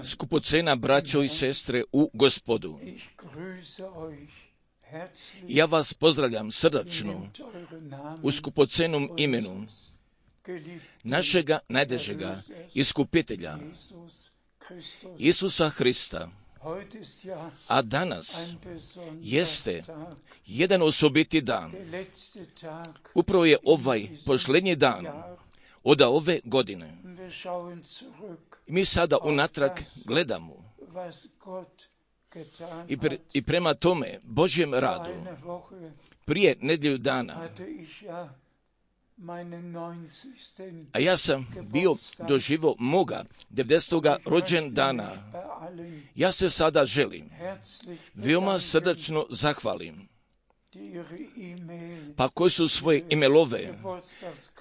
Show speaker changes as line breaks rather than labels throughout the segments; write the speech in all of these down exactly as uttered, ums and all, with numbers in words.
Skupocena braćo i sestre u Gospodu. Ja vas pozdravljam srdačno u skupocenom imenu našega najdražega iskupitelja Isusa Hrista. A danas jeste jedan osobiti dan. Upravo je ovaj posljednji dan od ove godine. Mi sada unatrag gledamo i, pre, i prema tome Božjem radu prije nedjelju dana, a ja sam bio doživio moga devedesetoga rođendana. Ja se sada želim veoma srdačno zahvalim pa koji su svoje e-mailove,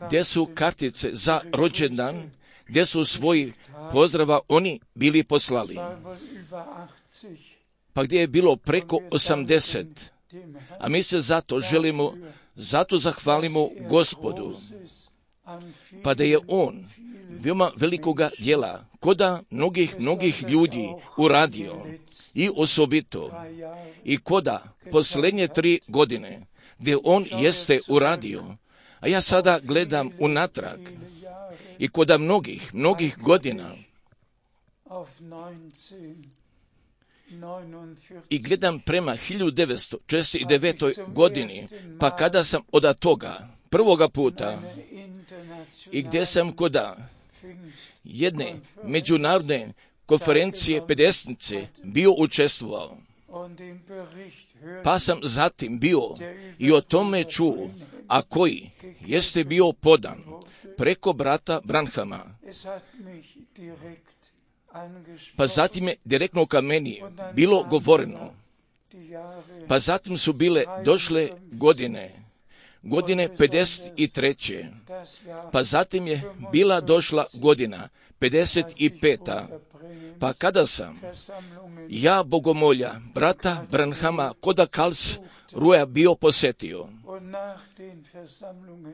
gdje su kartice za rođendan, gdje su svoji pozdrava oni bili poslali. Pa gdje je bilo preko osamdeset. A mi se zato želimo, zato zahvalimo Gospodu, pa da je On veoma velikoga djela, koda mnogih, mnogih ljudi uradio i osobito, i koda posljednje tri godine, gdje On jeste uradio. A ja sada gledam unatrag i koda mnogih, mnogih godina i gledam prema hiljadu devetsto četrdeset devetoj godini, pa kada sam od toga prvoga puta i gdje sam koda jedne međunarodne konferencije pedesetnice bio učestvovao, pa sam zatim bio i o tome čuo, a koji jeste bio podan preko brata Branhama. Pa zatim je direktno ka meni bilo govoreno. Pa zatim su bile došle godine, godine pedeset treće. Pa zatim je bila došla godina pedeset peta. Pa kada sam ja bogomolja brata Branhama koda Kals Ruja bio posjetio,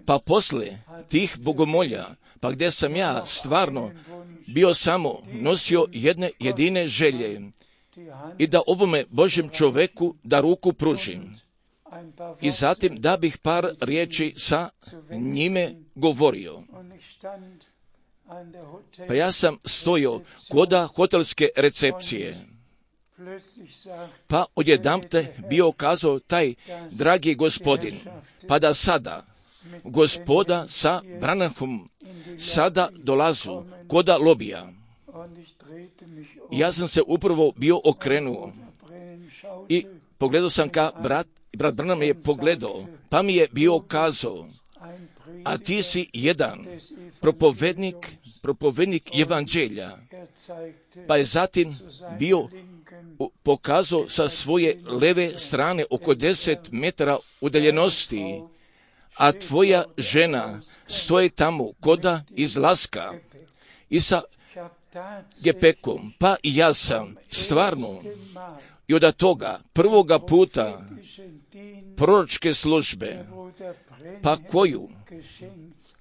pa posle tih bogomolja, pa gdje sam ja stvarno bio samo nosio jedne jedine želje i da ovome Božjem čoveku da ruku pružim i zatim da bih par riječi sa njime govorio. Pa ja sam stojio koda hotelske recepcije, pa odjedanpute bio kazao taj dragi gospodin, pa da sada gospoda sa Branham sada dolazu koda lobija. Ja sam se upravo bio okrenuo i pogledao sam ka brat, brat Branham je pogledao, pa mi je bio kazao, a ti si jedan propovednik, propovednik evanđelja. Pa je zatim bio pokazao sa svoje leve strane oko deset metara udaljenosti, a tvoja žena stoji tamo koda izlaska i sa gepekom. Pa i ja sam stvarno i od toga prvoga puta proročke službe, pa koju,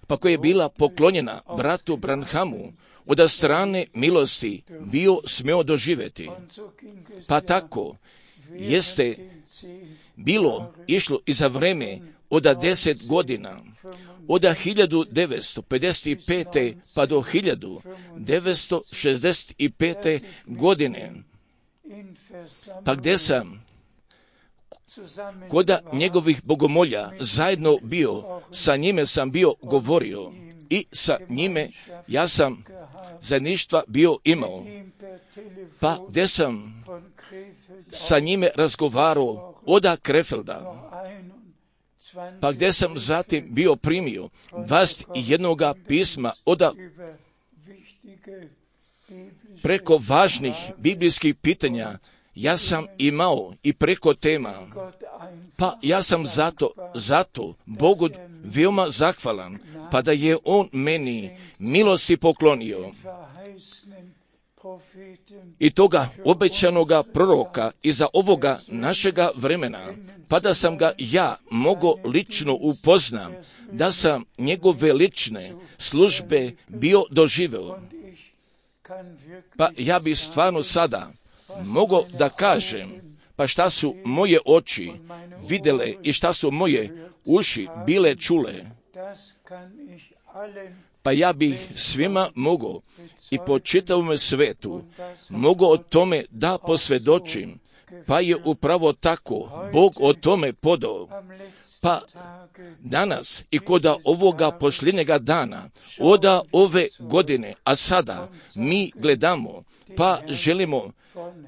pa koja je bila poklonjena bratu Branhamu, od strane milosti bio smio doživjeti. Pa tako jeste bilo išlo i za vreme od deset godina, od hiljadu devetsto pedeset pete pa do hiljadu devetsto šezdeset pete godine, pa gdje sam koda njegovih bogomolja zajedno bio, sa njime sam bio govorio i sa njime ja sam zajedništva bio imao, pa gdje sam sa njime razgovarao oda Krefelda, pa gdje sam zatim bio primio dvadeset jednoga pisma oda preko važnih biblijskih pitanja, ja sam imao i preko tema, pa ja sam zato, zato Bogu veoma zahvalan, pa da je On meni milosti poklonio i toga obećanoga proroka iza ovoga našega vremena, pa da sam ga ja mogao lično upoznam, da sam njegove lične službe bio doživeo. Pa ja bi stvarno sada mogao da kažem, pa šta su moje oči vidjele i šta su moje uši bile čule, pa ja bih svima mogao i po čitavom svetu mogao o tome da posvjedočim, pa je upravo tako Bog o tome podao. Pa danas i kod ovoga posljednjega dana, oda ove godine, a sada mi gledamo, pa želimo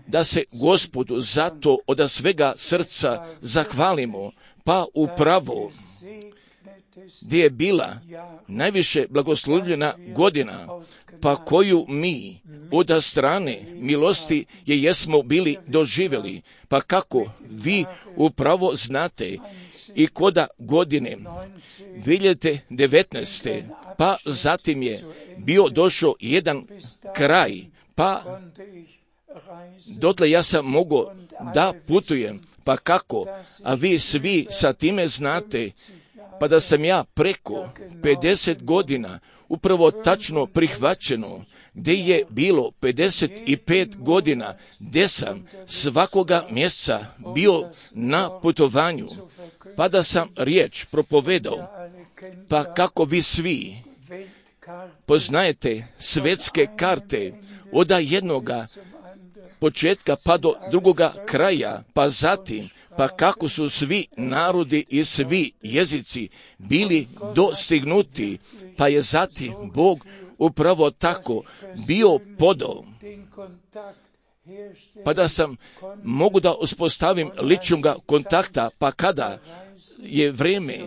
da se Gospodu zato od svega srca zahvalimo, pa upravo gdje je bila najviše blagoslovljena godina, pa koju mi od strane milosti je jesmo bili doživjeli, pa kako vi upravo znate i koda godine dvije hiljade devetnaeste. pa zatim je bio došao jedan kraj, pa dotle ja sam mogao da putujem, pa kako, a vi svi sa time znate, pa da sam ja preko pedeset godina upravo tačno prihvaćeno, gdje je bilo pedeset pet godina, gdje sam svakoga mjeseca bio na putovanju, pa da sam riječ propovedao, pa kako vi svi poznajete svetske karte od jednoga početka pa do drugoga kraja, pa zatim, pa kako su svi narodi i svi jezici bili dostignuti, pa je zatim Bog upravo tako bio podao, pa da sam mogu da uspostavim ličnoga kontakta, pa kada je vrijeme,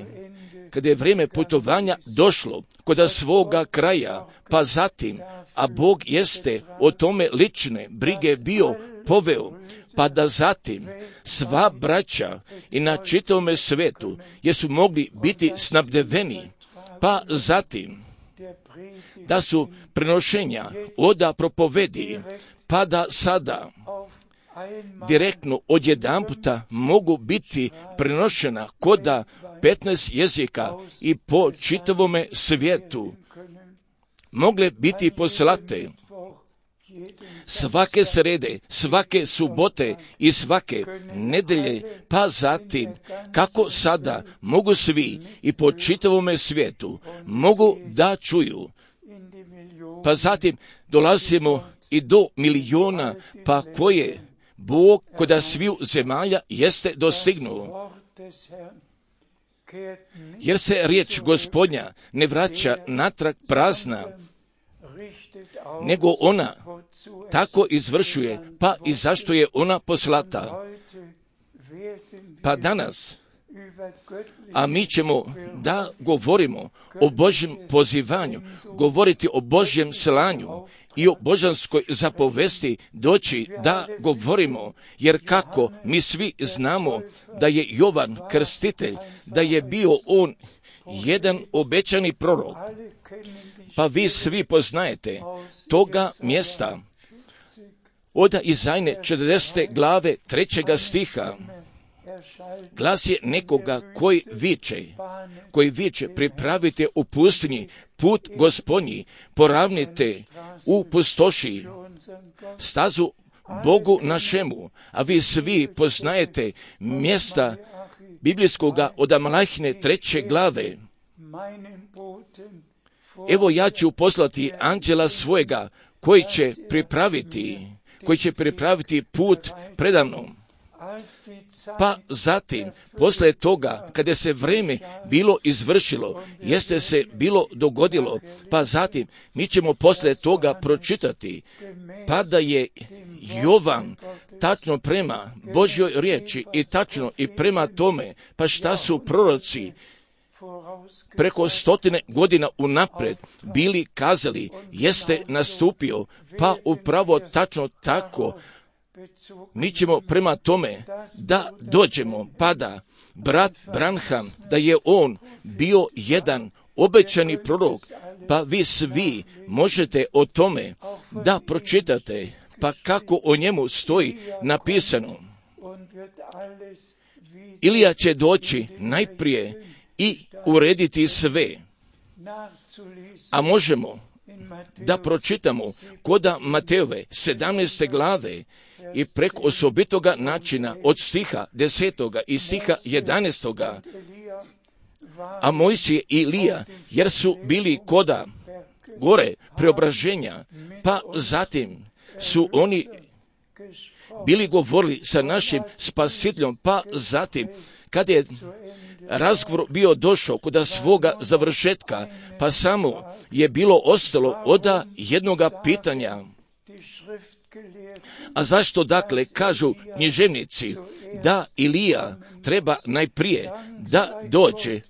kada je vrijeme putovanja došlo kod svoga kraja, pa zatim, a Bog jeste o tome lične brige bio poveo, pa da zatim sva braća i na čitavome svetu jesu mogli biti snabdeveni, pa zatim da su prenošenja oda propovedi, pa da sada direktno odjedanputa mogu biti prenošena koda petnaest jezika i po čitavome svijetu mogle biti poslate svake srede, svake subote i svake nedelje, pa zatim kako sada mogu svi i po čitavome svijetu mogu da čuju, pa zatim dolazimo i do miliona, pa koje Bog kod sviju zemalja jeste dostignuo. Jer se riječ Gospodnja ne vraća natrag prazna, nego ona tako izvršuje, pa i zašto je ona poslata. Pa danas, a mi ćemo da govorimo o Božjem pozivanju, govoriti o Božjem slanju i o božanskoj zapovesti doći da govorimo, jer kako mi svi znamo da je Jovan Krstitelj, da je bio on jedan obećani prorok, pa vi svi poznajete toga mjesta od Izajne četrdesete glave trećega stiha. Glas je nekoga koji viče, koji viče, pripravite u pustinji put Gospodnji, poravnite u pustoši stazu Bogu našemu, a vi svi poznajete mjesta biblijskoga od Malahine treće glave. Evo ja ću poslati anđela svojega koji će pripraviti, koji će pripraviti put predamnom. Pa zatim, posle toga, kada se vrijeme bilo izvršilo, jeste se bilo dogodilo, pa zatim, mi ćemo posle toga pročitati, pa da je Jovan tačno prema Božjoj riječi i tačno i prema tome, pa šta su proroci preko stotine godina unapred bili kazali, jeste nastupio, pa upravo tačno tako, mi ćemo prema tome da dođemo, pa da brat Branham, da je on bio jedan obećani prorok, Pa vi svi možete o tome da pročitate, pa kako o njemu stoji napisano. Ilija će doći najprije i urediti sve. A možemo da pročitamo koda Matejove sedamnaeste glave i preko osobitoga načina od stiha desetoga i stiha jedanaestoga. A Mojsije i Ilija, jer su bili koda gore preobraženja, pa zatim su oni bili govorili sa našim spasiteljom, pa zatim kada je razgovor bio došao kod svoga završetka, pa samo je bilo ostalo od jednoga pitanja. A zašto dakle kažu književnici da Ilija treba najprije da dođe?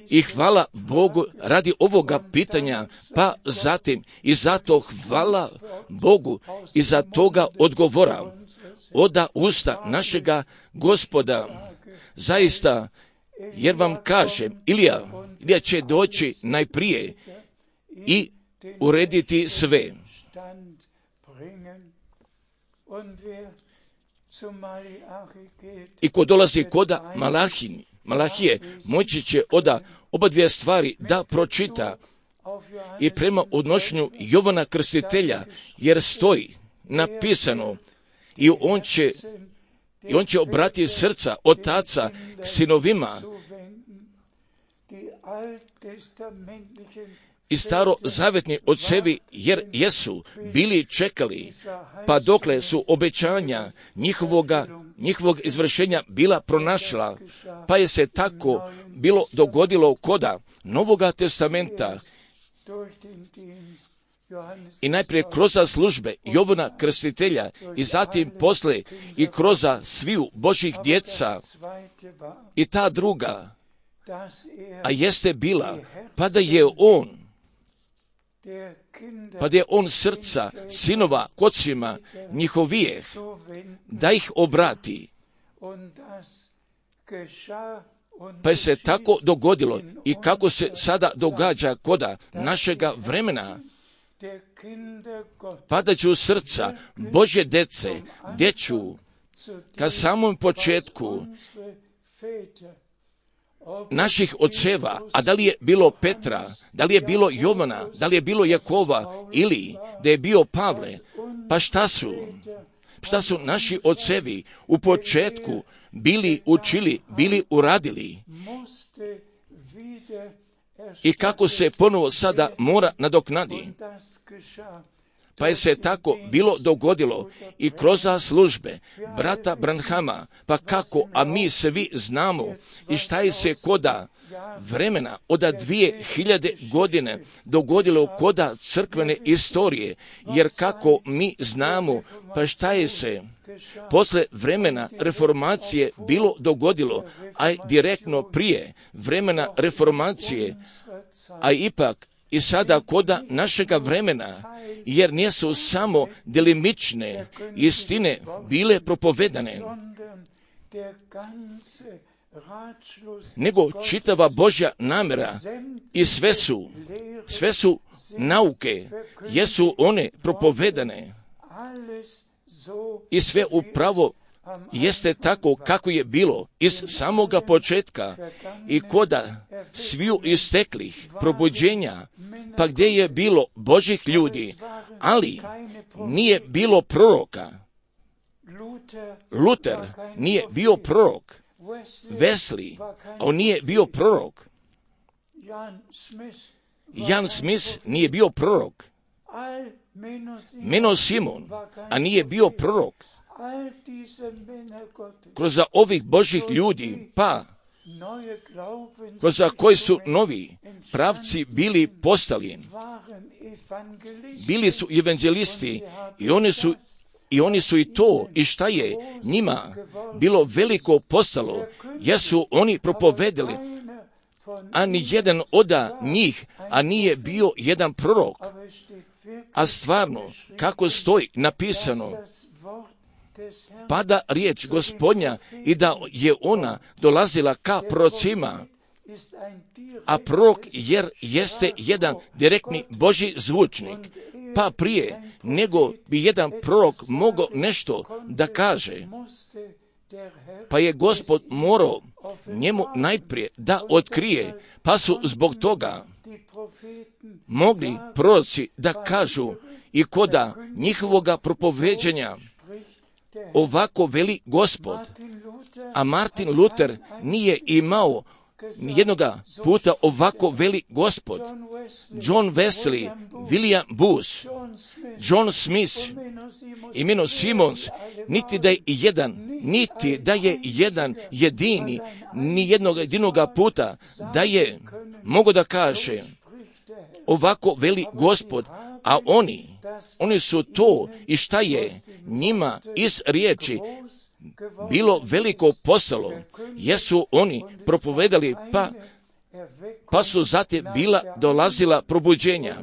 I hvala Bogu radi ovoga pitanja, pa zatim i zato hvala Bogu i za toga odgovora oda usta našega Gospoda. Zaista, jer vam kažem, Ilija, Ilija će doći najprije i urediti sve. I ko dolazi koda Malahini, Malahije, moći će oda oba dvije stvari da pročita i prema odnošenju Jovana Krstitelja, jer stoji napisano i on će, i on će obratiti srca otaca k sinovima i starozavetni ocevi, jer jesu bili čekali, pa dokle su obećanja njihovoga, njihovog izvršenja bila pronašla, pa je se tako bilo dogodilo koda Novoga testamenta i najprije kroz službe Jovana Krstitelja i zatim posle i kroz sviju Božih djeca. I ta druga, a jeste bila, pa da je on, pa da je on srca sinova kocima njihovijeh, da ih obrati. Pa je se tako dogodilo i kako se sada događa koda našega vremena, padaću srca Božje dece, djeću, ka samom početku naših oceva, a da li je bilo Petra, da li je bilo Jovana, da li je bilo Jakova ili da je bio Pavle, pa šta su? Šta su naši ocevi u početku bili učili, bili uradili i kako se ponovo sada mora nadoknadi. Pa je se tako bilo dogodilo i kroz službe brata Branhama, pa kako, a mi svi znamo i šta je se koda vremena od dvije hiljade godine dogodilo koda crkvene istorije, jer kako mi znamo, pa šta je se posle vremena reformacije bilo dogodilo, a direktno prije vremena reformacije, a ipak i sada koda našega vremena, jer nisu samo delimične istine bile propovedane, nego čitava Božja namjera i sve su, sve su nauke, jesu one propovedane i sve upravo jeste tako kako je bilo iz samoga početka i koda sviju isteklih probuđenja, pa gdje je bilo Božih ljudi, ali nije bilo proroka. Luter nije bio prorok, Wesley, on nije bio prorok, Jan Smith nije bio prorok, Menno Simon, a nije bio prorok. Kroz ovih Božih ljudi, pa kroz koji su novi pravci bili postali, bili su evanđelisti i oni su I oni su i to, i šta je njima bilo veliko postalo, jesu oni propovedali, a ni jedan od njih, a nije bio jedan prorok. A stvarno, kako stoji napisano, pada riječ Gospodnja i da je ona dolazila ka prorocima a prorok jer jeste jedan direktni Božji zvučnik, pa prije nego bi jedan prorok mogao nešto da kaže, pa je Gospod morao njemu najprije da otkrije, pa su zbog toga mogli proroci da kažu i koda njihovoga propoveđenja, ovako veli Gospod. A Martin Luther nije imao jednoga puta ovako veli Gospod. John Wesley, William Booth, John Smith i Menno Simons, niti da je jedan, niti da je jedan jedini, ni jednog jedinoga puta da je mogo da kaže ovako veli Gospod, a oni, oni su to i šta je njima iz riječi bilo veliko postalo, jesu oni propovedali, pa, pa su zatim bila dolazila probuđenja,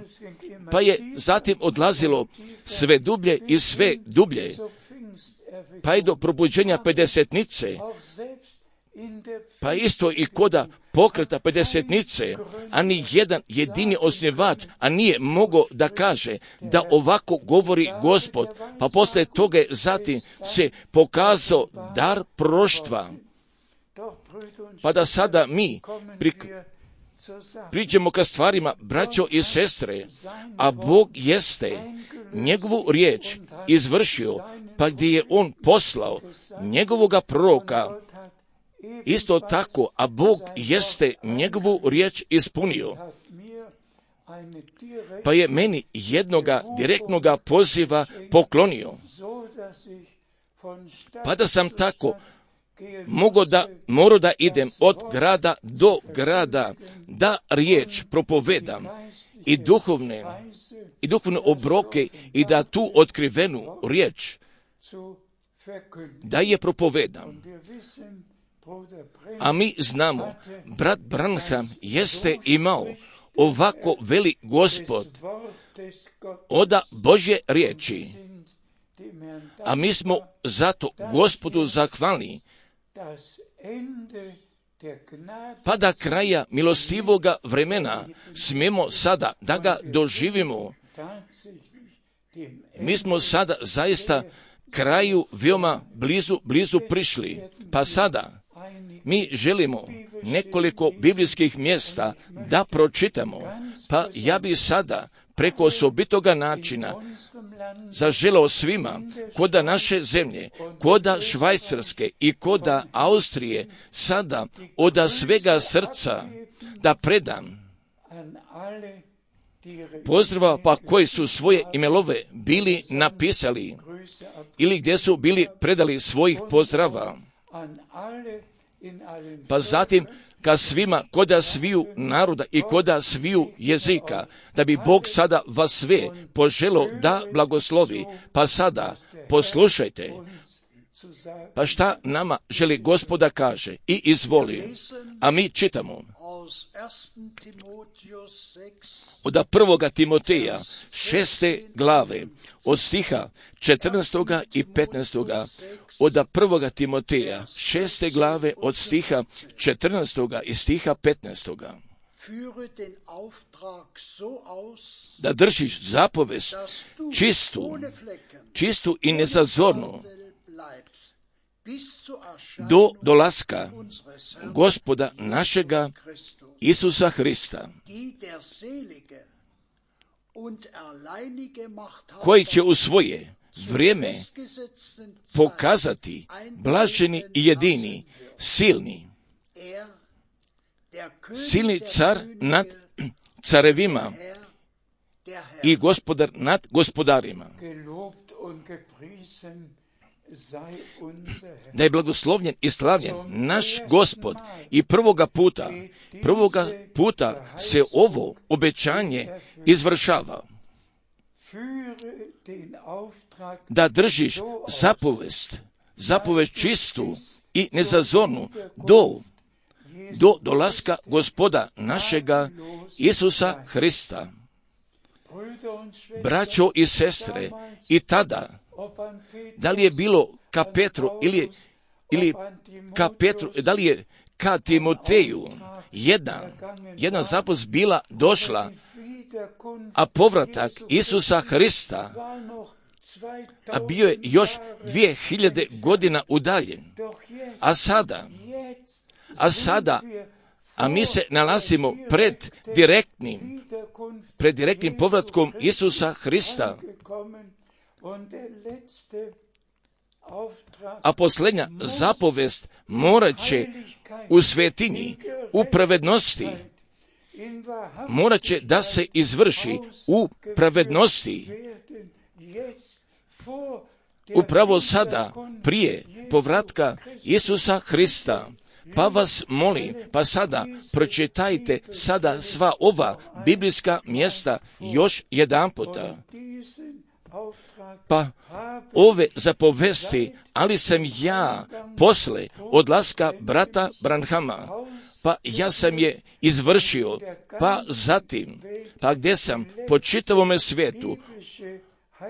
pa je zatim odlazilo sve dublje i sve dublje, pa i do probuđenja pedesetnice, pa isto i koda pokreta pedesetnice, a ni jedan jedini osnivač, a nije mogao da kaže da ovako govori Gospod, pa posle toga zatim se pokazao dar proroštva. Pa da sada mi pri, priđemo ka stvarima, braćo i sestre, a Bog jeste njegovu riječ izvršio, pa gdje je on poslao njegovoga proroka, isto tako, a Bog jeste njegovu riječ ispunio, pa je meni jednoga direktnoga poziva poklonio, pa da sam tako mogo da, morao da idem od grada do grada, da riječ propovedam i duhovne, i duhovne obroke i da tu otkrivenu riječ da je propovedam. A mi znamo, brat Branham jeste imao ovako veli Gospod oda Božje riječi, a mi smo zato Gospodu zahvalni, pa da kraja milostivoga vremena smijemo sada da ga doživimo. Mi smo sada zaista kraju veoma blizu, blizu prišli, pa sada mi želimo nekoliko biblijskih mjesta da pročitamo, pa ja bi sada preko osobitoga načina zaželao svima koda naše zemlje, koda Švajcarske i koda Austrije sada oda svega srca da predam pozdrava, pa koji su svoje imelove bili napisali ili gdje su bili predali svojih pozdrava. Pa zatim ka svima koda sviju naroda i koda sviju jezika, da bi Bog sada vas sve poželo da blagoslovi. Pa sada poslušajte, pa šta nama želi Gospoda kaže i izvoli. A mi čitamo od prvoga Timoteja šeste glave, od stiha četrnaestoga i petnaestoga, od prvoga Timoteja šeste glave, od stiha četrnaestoga i stiha petnaestoga. Da držiš zapovest čistu, čistu i nezazornu, do dolaska Gospoda našega Isusa Hrista, koji će u svoje vrijeme pokazati blaženi i jedini, silni, silni car nad carevima i gospodar nad gospodarima. Da je blagoslovljen i slavljen naš Gospod i prvoga puta, prvoga puta se ovo obećanje izvršava. Da držiš zapovest, zapovest čistu i nezazornu do, do dolaska Gospoda našega Isusa Hrista. Braćo i sestre, i tada, da li je bilo ka Petru ili, ili ka Petru, da li je ka Timoteju, jedna, jedna zapovest bila došla, a povratak Isusa Hrista, a bio je još dvije hiljade godina udaljen. A sada, a sada, a mi se nalazimo pred direktnim, pred direktnim povratkom Isusa Hrista. A posljednja zapovest morat će u svetinji, u pravednosti, morat će da se izvrši u pravednosti. Upravo sada, prije povratka Isusa Hrista. Pa vas molim, pa sada pročitajte sada sva ova biblijska mjesta još jedan puta. Pa ove zapovesti, ali sam ja posle odlaska brata Branhama, pa ja sam je izvršio, pa zatim, pa gdje sam po čitavome svijetu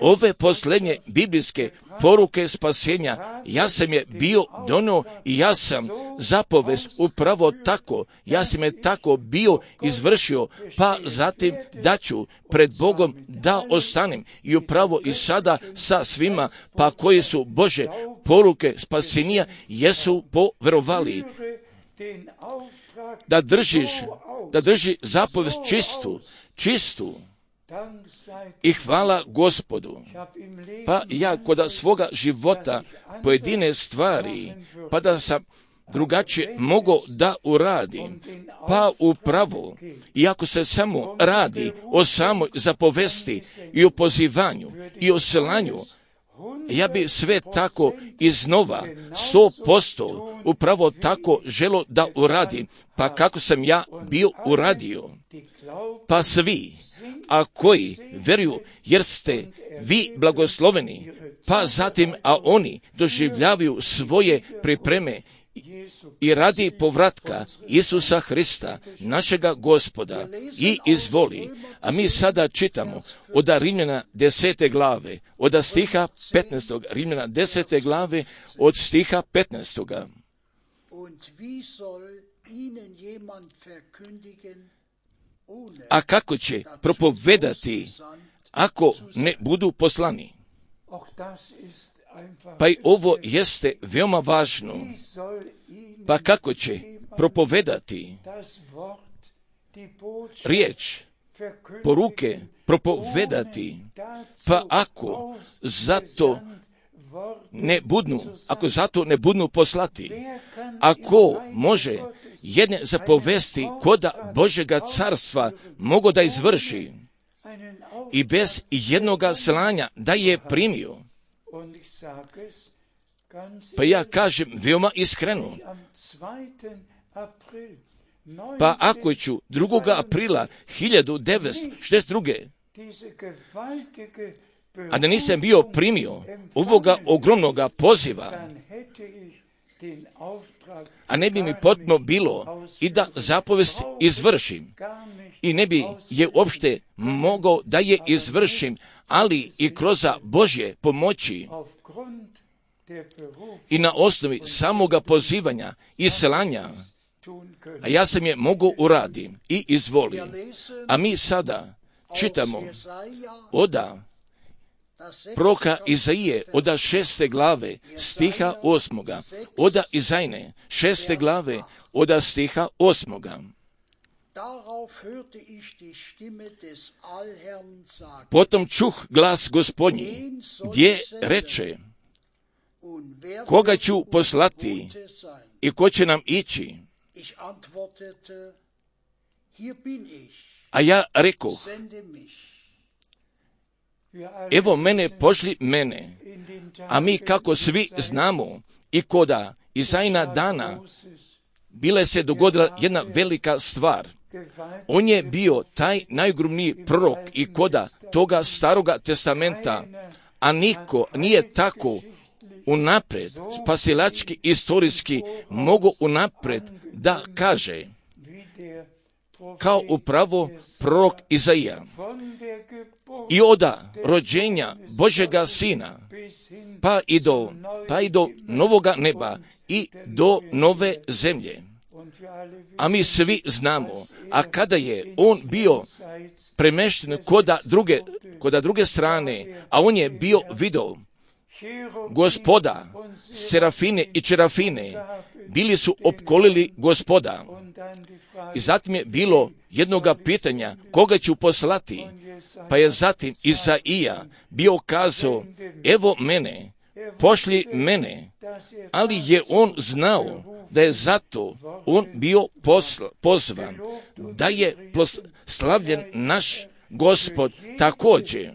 ove posljednje biblijske poruke spasenja, ja sam je bio donio i ja sam zapovest upravo tako, ja sam je tako bio izvršio, pa zatim da ću pred Bogom da ostanem i upravo i sada sa svima, pa koji su Bože poruke spasenja jesu poverovali. Da držiš, da drži zapovest čistu, čistu, i hvala Gospodu. Pa ja kod svoga života pojedine stvari, pa da sam drugačije mogao da uradim, pa upravo, iako se samo radi o samoj zapovesti i o pozivanju i o slanju, ja bi sve tako iznova, sto posto, upravo tako želo da uradim, pa kako sam ja bio uradio. Pa svi, a koji veruju, jer ste vi blagosloveni, pa zatim, a oni doživljavaju svoje pripreme i radi povratka Isusa Hrista, našega Gospoda, i izvoli. A mi sada čitamo od Rimljana desete glave, od stiha petnaestog, Rimljana desete glave, od stiha petnaestog. A kako će propovedati ako ne budu poslani? Pa i ovo jeste veoma važno. Pa kako će propovedati riječ, poruke propovedati, pa ako zato ne budnu, ako zato ne budnu poslati, ako može jedne zapovesti koda Božega carstva mogu da izvrši i bez jednoga slanja da je primio. Pa ja kažem veoma iskreno, pa ako ću drugog aprila hiljadu devetsto šezdeset druge a da nisam bio primio ovoga ogromnoga poziva, a ne bi mi potrebno bilo i da zapovest izvršim i ne bi je uopšte mogao da je izvršim, ali i kroz Božje pomoći i na osnovi samoga pozivanja i slanja, a ja sam je mogu uradim i izvolim. A mi sada čitamo oda proroka Izaije, oda šeste glave, stiha osmoga, oda Izajne, šeste glave, oda stiha osmoga. Potom čuh glas Gospodnji, gdje reče, koga ću poslati i ko će nam ići? A ja rekoh, evo mene, pošli mene. A mi kako svi znamo i koda Izajina dana bila se dogodila jedna velika stvar. On je bio taj najgrubniji prorok i koda toga staroga testamenta, a niko nije tako unapred, spasilački, istorijski, mogu unapred da kaže, kao upravo prorok Izaija. I oda rođenja Božega Sina, pa i do, pa i do novoga neba i do nove zemlje. A mi svi znamo, a kada je on bio premešten koda druge, koda druge strane, a on je bio video Gospoda, serafine i čerafine, bili su opkolili Gospoda. I zatim je bilo jednoga pitanja, koga ću poslati? Pa je zatim Izaija bio kazao, evo mene, pošli mene. Ali je on znao da je zato on bio posla, pozvan, da je slavljen naš Gospod također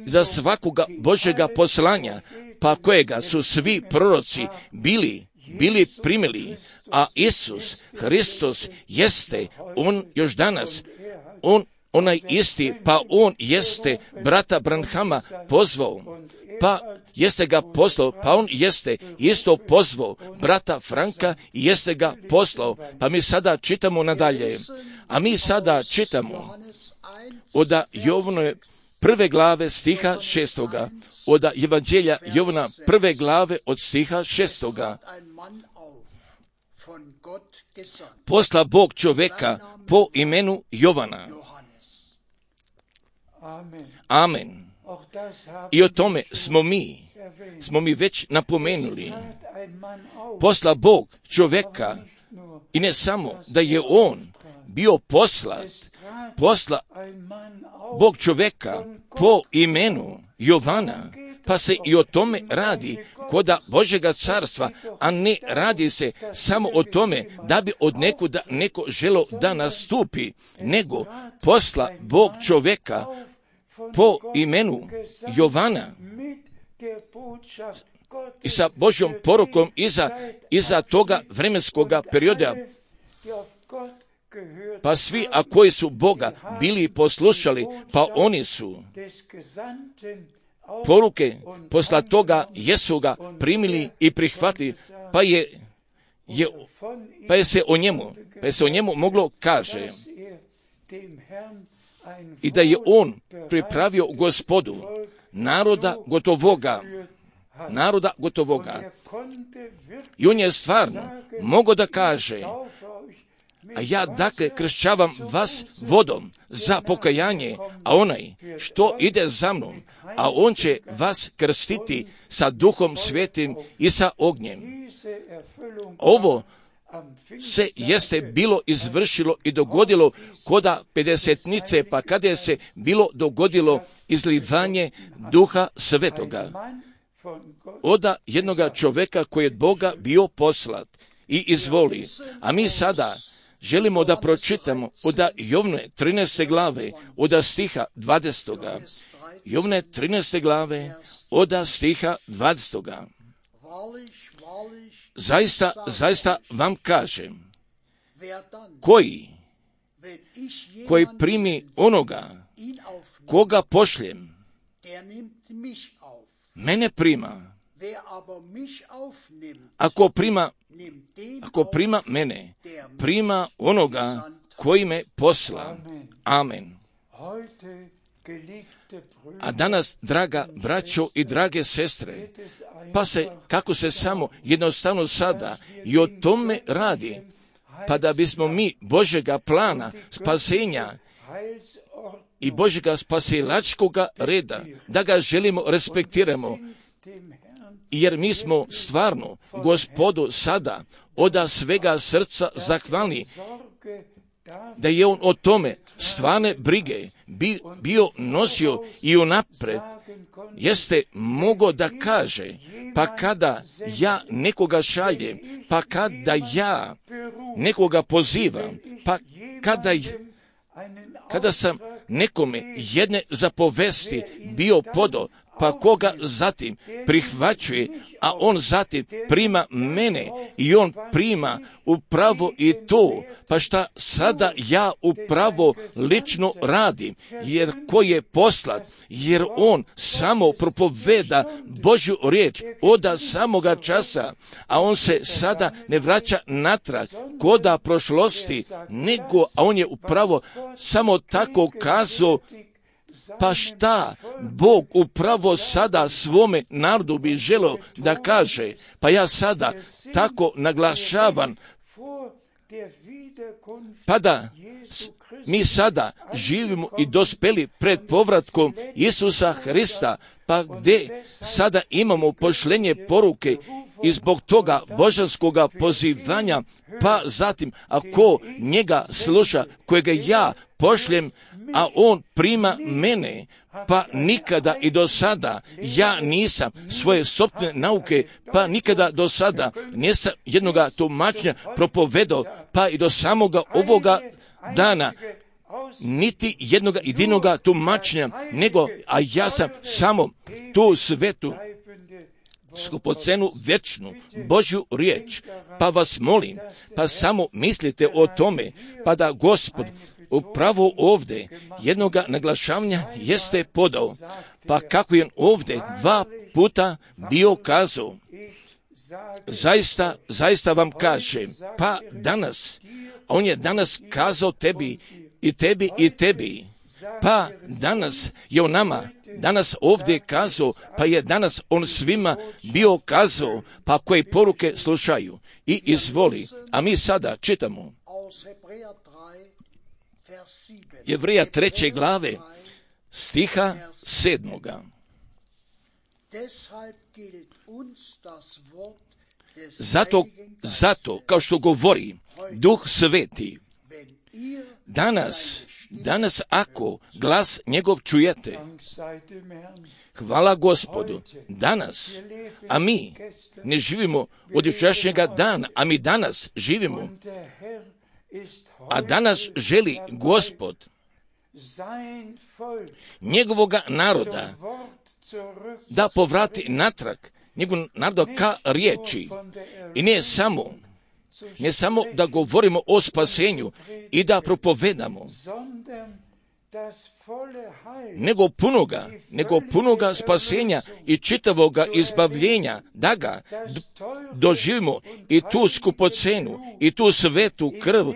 za svakoga Božjega poslanja, pa kojega su svi proroci bili, bili primili, a Isus Hristos jeste, on još danas, on onaj isti, pa on jeste brata Branhama pozvao, pa jeste ga poslao, pa on jeste isto pozvao brata Franka i jeste ga poslao, pa mi sada čitamo nadalje, a mi sada čitamo od Jovnove prve glave stiha šestoga, od Evanđelja Jovana prve glave od stiha šestoga. Posla Bog čovjeka po imenu Jovana. Amen. I o tome smo mi, smo mi već napomenuli. Posla Bog čovjeka i ne samo da je on bio poslat, posla Bog čovjeka po imenu Jovana, pa se i o tome radi koda Božjega carstva, a ne radi se samo o tome da bi od nekuda neko želo da nastupi, nego posla Bog čovjeka po imenu Jovana i sa Božjom porukom iza, iza toga vremenskoga perioda. Pa svi, a koji su Boga bili poslušali, pa oni su poruke posla toga Jesuga primili i prihvatili, pa je, je, pa je se o njemu, pa je se o njemu moglo kaže i da je on pripravio Gospodu naroda gotovoga, naroda gotovoga. I on je stvarno mogao da kaže, a ja dakle kršćavam vas vodom za pokajanje, a onaj što ide za mnom, a on će vas krstiti sa Duhom Svetim i sa ognjem. Ovo se jeste bilo izvršilo i dogodilo koda pedesetnice, pa kada je se bilo dogodilo izlivanje Duha Svetoga od jednoga čovjeka koji je od Boga bio poslat i izvoli. A mi sada želimo da pročitamo od Jovne trinaeste glave, od stiha dvadesetoga. Jovne trinaeste glave, od stiha dvadesetoga. Zaista, zaista vam kažem, koji, koji primi onoga, koga pošljem, mene prima. Ako prima, ako prima mene, prima onoga koji me posla. Amen. A danas, draga braćo i drage sestre, pa se, kako se samo jednostavno sada i o tome radi, pa da bismo mi Božjega plana spasenja i Božjega spasilačkoga reda, da ga želimo, respektiramo, jer mi smo stvarno Gospodu sada od svega srca zahvalni, da je on o tome stvarne brige bi, bio nosio i unapred jeste mogao da kaže, pa kada ja nekoga šaljem, pa kada ja nekoga pozivam, pa kada, kada sam nekome jedne zapovesti bio podao, pa koga zatim prihvaćuje, a on zatim prima mene i on prima upravo i to, pa šta sada ja upravo lično radim, jer ko je poslat, jer on samo propoveda Božju riječ od samoga časa, a on se sada ne vraća natrag koda prošlosti, nego, a on je upravo samo tako kazao. Pa šta Bog upravo sada svome narodu bi želeo da kaže, pa ja sada tako naglašavam Pa da mi sada živimo i dospeli pred povratkom Isusa Hrista, pa gdje sada imamo pošlenje poruke i zbog toga božanskoga pozivanja, pa zatim ako njega sluša, kojega ja pošljem, a on prima mene, pa nikada i do sada ja nisam svoje sopstvene nauke, pa nikada do sada nisam jednoga tumačenja propovedao, pa i do samoga ovoga dana niti jednoga jedinoga tumačenja, nego, a ja sam samo tu svetu skupocenu vječnu Božju riječ, pa vas molim, pa samo mislite o tome, pa da Gospod upravo ovdje jednoga naglašavanja jeste podao, pa kako je ovdje dva puta bio kazao, zaista, zaista vam kažem, pa danas, on je danas kazao tebi i tebi i tebi, pa danas je on nama, danas ovdje kazao, pa je danas on svima bio kazao, pa koje poruke slušaju i izvoli. A mi sada čitamo Jevreja treće glave, stiha sedmoga. Zato, zato, kao što govori Duh Sveti, danas, danas ako glas njegov čujete, hvala Gospodu, danas, a mi ne živimo od jučerašnjega dana, a mi danas živimo, a danas želi Gospod njegovoga naroda da povrati natrag njegov narod ka riječi. I ne samo, ne samo da govorimo o spasenju i da propovedamo, nego punoga, nego punoga spasenja i čitavoga izbavljenja, da ga doživimo i tu skupocenu i tu svetu krv,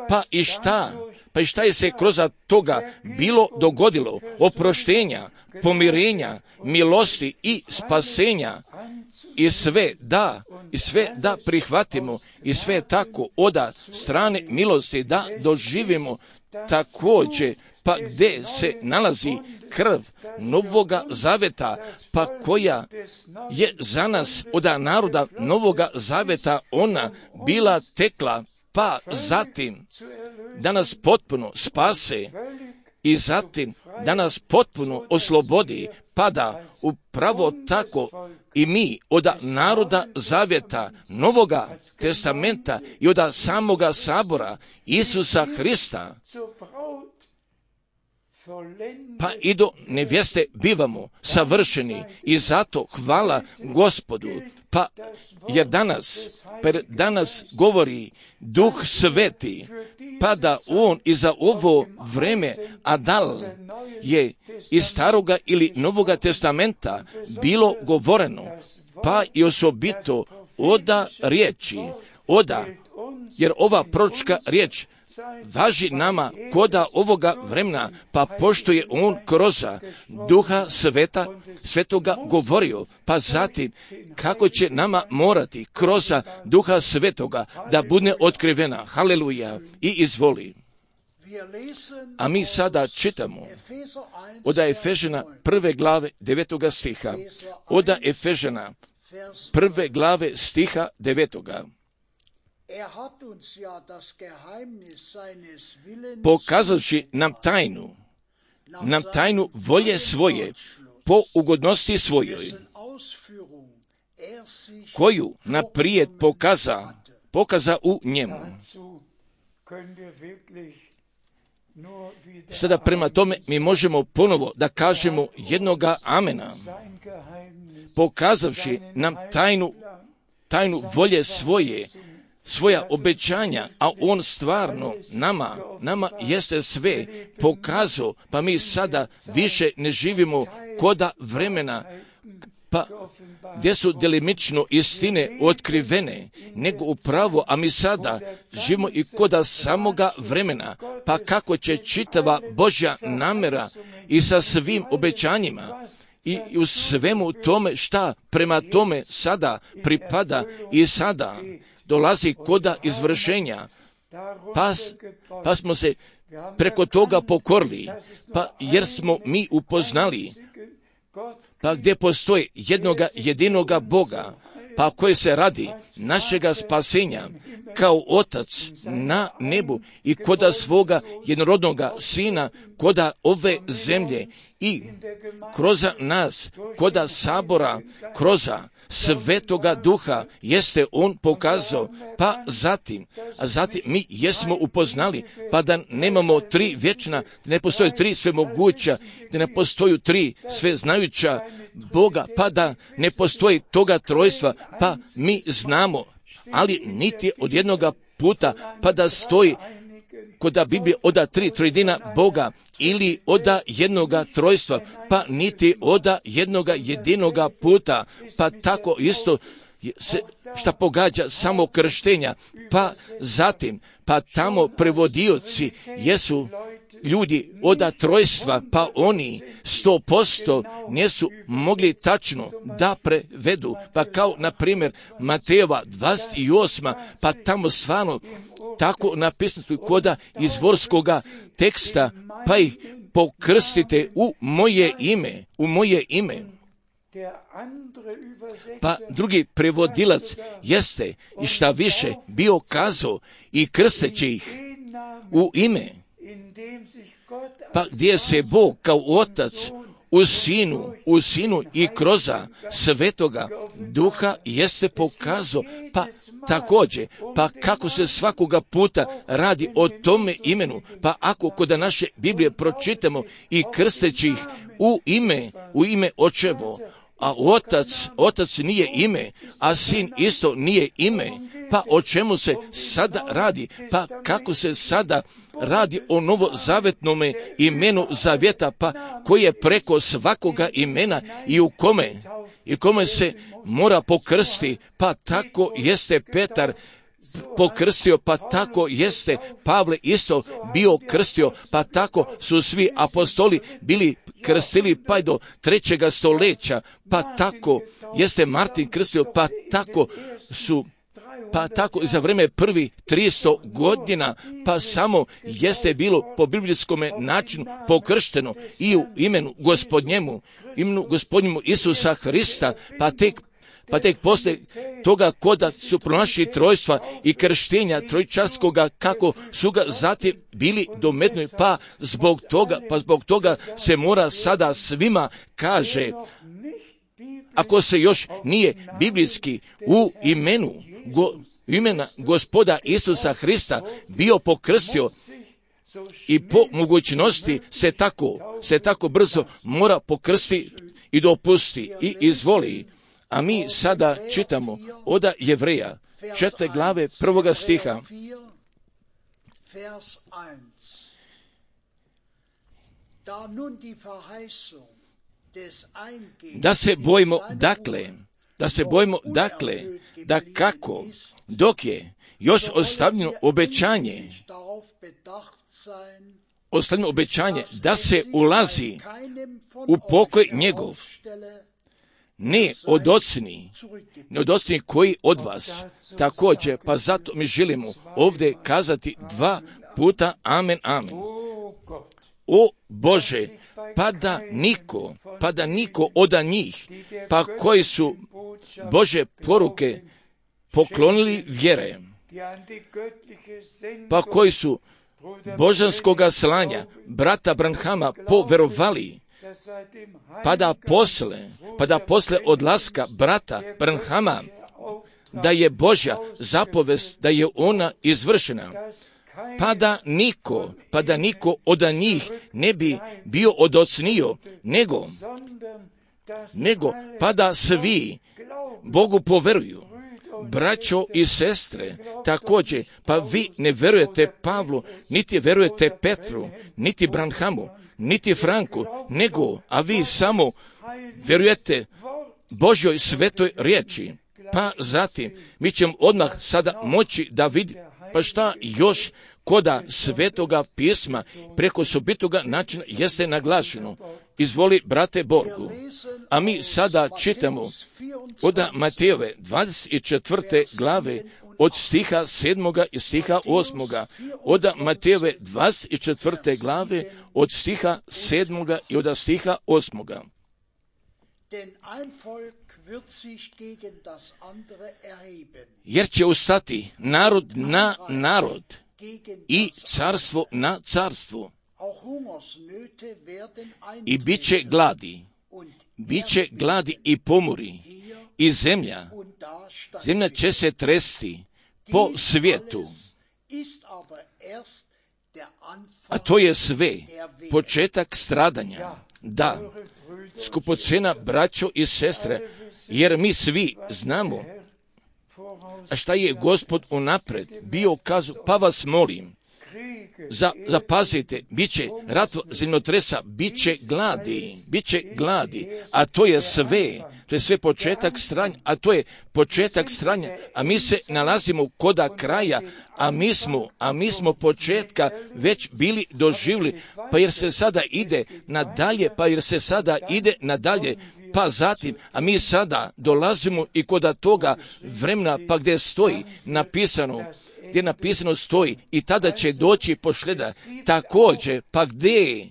pa i šta, pa i šta je se kroz toga bilo dogodilo, oproštenja, pomirenja, milosti i spasenja, i sve da, i sve da prihvatimo, i sve tako oda strane milosti da doživimo također, pa gdje se nalazi krv Novoga Zaveta, pa koja je za nas od naroda Novoga Zaveta ona bila tekla, pa zatim da nas potpuno spase i zatim da nas potpuno oslobodi, pa da upravo tako i mi od naroda Zaveta Novoga Testamenta i od samoga sabora Isusa Hrista, pa i do nevjeste bivamo savršeni, i zato hvala Gospodu, pa jer danas, per danas govori Duh Sveti, pa da on i za ovo vreme, a dal je iz staroga ili Novoga Testamenta bilo govoreno, pa i osobito oda riječi, oda, jer ova proročka riječ važi nama koda ovoga vremena, pa pošto je on kroz Duha Sveta, Svetoga govorio, pa zatim kako će nama morati kroz Duha Svetoga da bude otkrivena. Haleluja. I izvoli. A mi sada čitamo od Efežana prve glave devetoga stiha, od Efežana prve glave stiha devetoga. Pokazavši nam tajnu, nam tajnu volje svoje, po ugodnosti svojoj, koju naprijed pokaza, pokaza u njemu. Sada prema tome mi možemo ponovo da kažemo jednoga amena, pokazavši nam tajnu, tajnu volje svoje, svoja obećanja, a on stvarno nama, nama jeste sve pokazao, pa mi sada više ne živimo koda vremena, pa gdje su delimično istine otkrivene, nego upravo, a mi sada živimo i koda samoga vremena, pa kako će čitava Božja namjera i sa svim obećanjima i u svemu tome šta prema tome sada pripada i sada dolazi koda izvršenja, pa, pa smo se preko toga pokorili, pa jer smo mi upoznali, pa gdje postoji jednoga jedinoga Boga, pa koji se radi našega spasenja kao Otac na nebu i koda svoga jednorodnoga Sina, koda ove zemlje i kroz nas, koda sabora, kroz Svetoga Duha jeste on pokazao, pa zatim, a zatim mi jesmo upoznali, pa da nemamo tri vječna, da ne postoje tri svemoguća, da ne postoju tri sveznajuća Boga, pa da ne postoji toga trojstva, pa mi znamo, ali niti od jednoga puta, pa da stoji koda Biblije oda tri trojedina Boga ili oda jednoga trojstva, pa niti oda jednoga jedinoga puta, pa tako isto se šta pogađa samo krštenja, pa zatim, pa tamo prevodioci jesu ljudi oda trojstva, pa oni sto posto nisu mogli tačno da prevedu, pa kao na primjer Matejeva dvadeset osma, pa tamo stvarno tako napisano koda izvorskoga teksta, pa ih pokrstite u moje ime, u moje ime. Pa drugi prevodilac jeste i šta više bio kazao i krsteći ih u ime, pa gdje se Bog kao Otac u Sinu, u Sinu i kroz Svetoga Duha jeste pokazao, pa također, pa kako se svakoga puta radi o tome imenu, pa ako kod naše Biblije pročitamo i krsteći ih u ime, u ime Očevo, a otac, otac nije ime, a sin isto nije ime, pa o čemu se sada radi, pa kako se sada radi o novozavetnome imenu zavjeta, pa koji je preko svakoga imena i u kome, i kome se mora pokrsti, pa tako jeste Petar pokrstio, pa tako jeste Pavle isto bio krstio, pa tako su svi apostoli bili krstili pa do trećega stoljeća, pa tako jeste Martin krstio, pa tako su pa tako i za vrijeme prvi tristo godina, pa samo jeste bilo po biblijskom načinu pokršteno i u imenu Gospodnjemu, imenu Gospodnjemu Isusa Hrista, pa tek Pa tek poslije toga koda su pronašli trojstva i krštenja trojčarskoga, kako su ga zatim bili dometnuli, pa zbog toga, pa zbog toga se mora sada svima kaže, ako se još nije biblijski u imenu, go, imena Gospoda Isusa Hrista bio pokrstio i po mogućnosti se tako, se tako brzo mora pokrsti i dopusti i izvoli. A mi sada čitamo oda Jevreja, četvrte glave prvoga stiha. Da se bojimo dakle, da se bojimo dakle, da kako, dok je još ostavljeno obećanje, ostavljeno obećanje da se ulazi u pokoj njegov, ne odocni, ne odocni koji od vas. Također, pa zato mi želimo ovdje kazati dva puta amen, amen. O Bože, pa da niko, pa da niko od njih, pa koji su Bože poruke poklonili vjere, pa koji su božanskoga slanja brata Branhama poverovali, pa da posle, pa da posle odlaska brata Branhama, da je Božja zapovest, da je ona izvršena, pa da niko, pa da niko od njih ne bi bio odocnio, nego, nego, pa da svi Bogu poveruju. Braćo i sestre, također, pa vi ne verujete Pavlu, niti verujete Petru, niti Branhamu, niti Franku, nego, a vi samo vjerujete Božjoj svetoj riječi. Pa zatim, mi ćemo odmah sada moći da vidimo, pa šta još koda svetoga pisma preko sobitoga načina jeste naglašeno. Izvoli, brate Borgu. A mi sada čitamo od Matejove dvadeset četvrte glave od stiha sedmoga i stiha osmoga, od Matejove dvadeset četvrte glave, od stiha sedmoga i od stiha osmoga. Jer će ustati narod na narod i carstvo na carstvo. I bit će gladi, bit će gladi i pomori, i zemlja, zemlja će se tresti po svijetu. A to je sve početak stradanja. Da, skupocena braćo i sestre, jer mi svi znamo a šta je Gospod unapred bio kazao, pa vas molim, za, zapazite, bit će ratva zemljotresa, bit će gladi, bit će gladi, a to je sve, to je sve početak stranja, a to je početak stranja, a mi se nalazimo koda kraja, a mi smo, a mi smo početka već bili doživjeli, pa jer se sada ide nadalje, pa jer se sada ide nadalje, pa zatim, a mi sada dolazimo i koda toga vremena, pa gdje stoji napisano, gdje napisano stoji, i tada će doći pošljeda, također, pa gdje,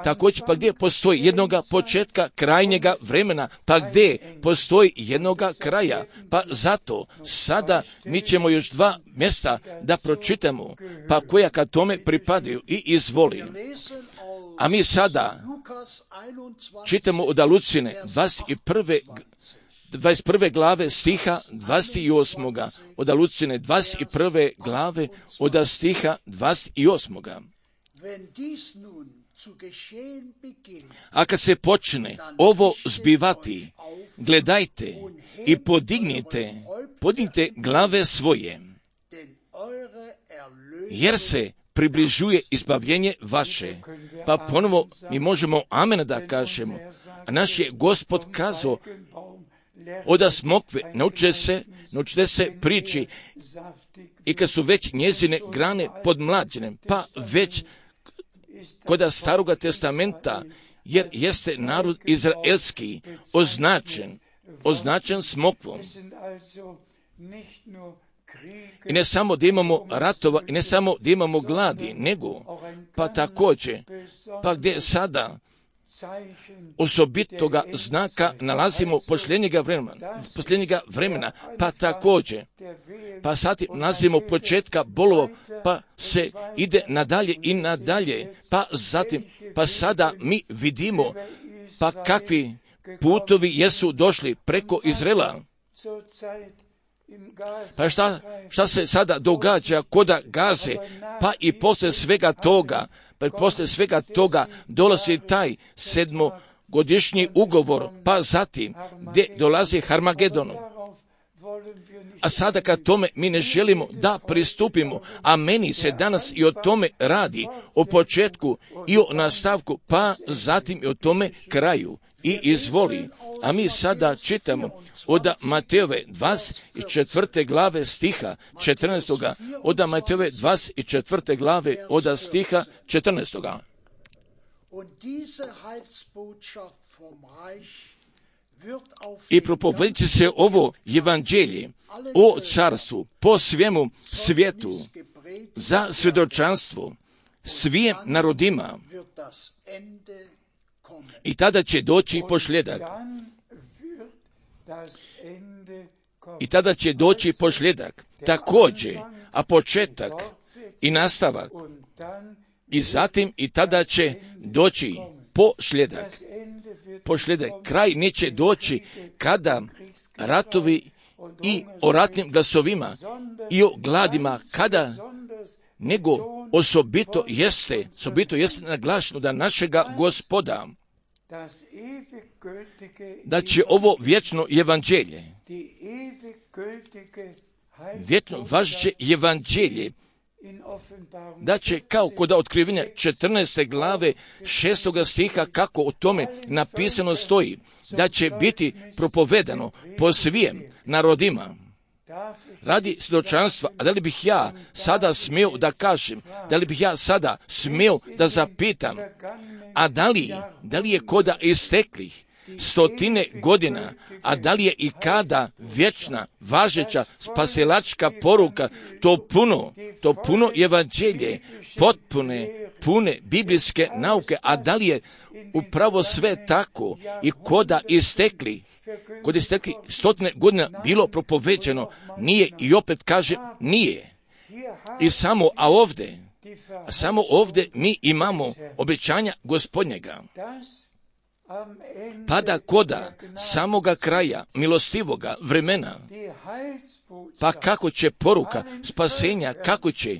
također, pa gdje postoji jednoga početka krajnjega vremena, pa gdje postoji jednoga kraja, pa zato sada mi ćemo još dva mjesta da pročitamo, pa koja ka tome pripadaju i izvoli. A mi sada čitamo od Lučine dvadeset prve dvadeset prve glave stiha dvadeset osmoga Od Lučine dvadeset prve glave od stiha dvadeset osmoga A kad se počne ovo zbivati, gledajte i podignite, podignite glave svoje, jer se približuje izbavljenje vaše. Pa ponovo mi možemo amen da kažemo. A naš je Gospod kazao, oda smokve, naučite se, naučite se priči, i kad su već njezine grane podmlađene, pa već koda Staroga testamenta, jer jeste narod izraelski označen, označen smokvom. I ne samo da imamo ratova, i ne samo da imamo gladi, nego, pa također, pa gdje sada osobitoga znaka nalazimo posljednjega vremena, posljednjega vremena, pa također, pa sad nalazimo početka bolova, pa se ide nadalje i nadalje, pa zatim, pa sada mi vidimo, pa kakvi putovi jesu došli preko Izraela. Pa šta, šta se sada događa koda Gaze, pa i posle svega toga, pa i posle svega toga dolazi taj sedmogodišnji ugovor, pa zatim gdje dolazi Harmagedon. A sada kad tome mi ne želimo da pristupimo, a meni se danas i o tome radi, o početku i o nastavku, pa zatim i o tome kraju. I izvoli, a mi sada čitamo od Matejove dvadeset četvrte glave stiha četrnaestoga od Matejove dvadeset četvrte glave od stiha četrnaestoga I propovedit će se ovo evanđelje o carstvu po svemu svijetu za svjedočanstvo svim narodima. I tada će doći pošljedak. I tada će doći pošljedak. Također, a početak i nastavak. I zatim i tada će doći pošljedak. Pošljedak. Kraj neće doći kada ratovi i o ratnim glasovima i o gladima, kada nego osobito jeste, osobito jeste naglašeno da našega Gospoda, da će ovo vječno evanđelje, vječno važeće evanđelje, da će kao kod otkrivenja četrnaeste glave šestoga stiha, kako o tome napisano stoji, da će biti propovedano po svim narodima radi svjedočanstva. A da li bih ja sada smio da kažem, da li bih ja sada smio da zapitam, a da li, da li je koda isteklih, stotine godina, a da li je i kada vječna, važeća, spasilačka poruka, to puno, to puno evanđelje, potpune, pune biblijske nauke, a da li je upravo sve tako i koda istekli, kod istekli stotine godina bilo propoveđeno, nije, i opet kaže nije. I samo, a ovdje, a samo ovdje mi imamo obećanja Gospodnjega. Pa da koda samoga kraja milostivoga vremena, pa kako će poruka spasenja, kako će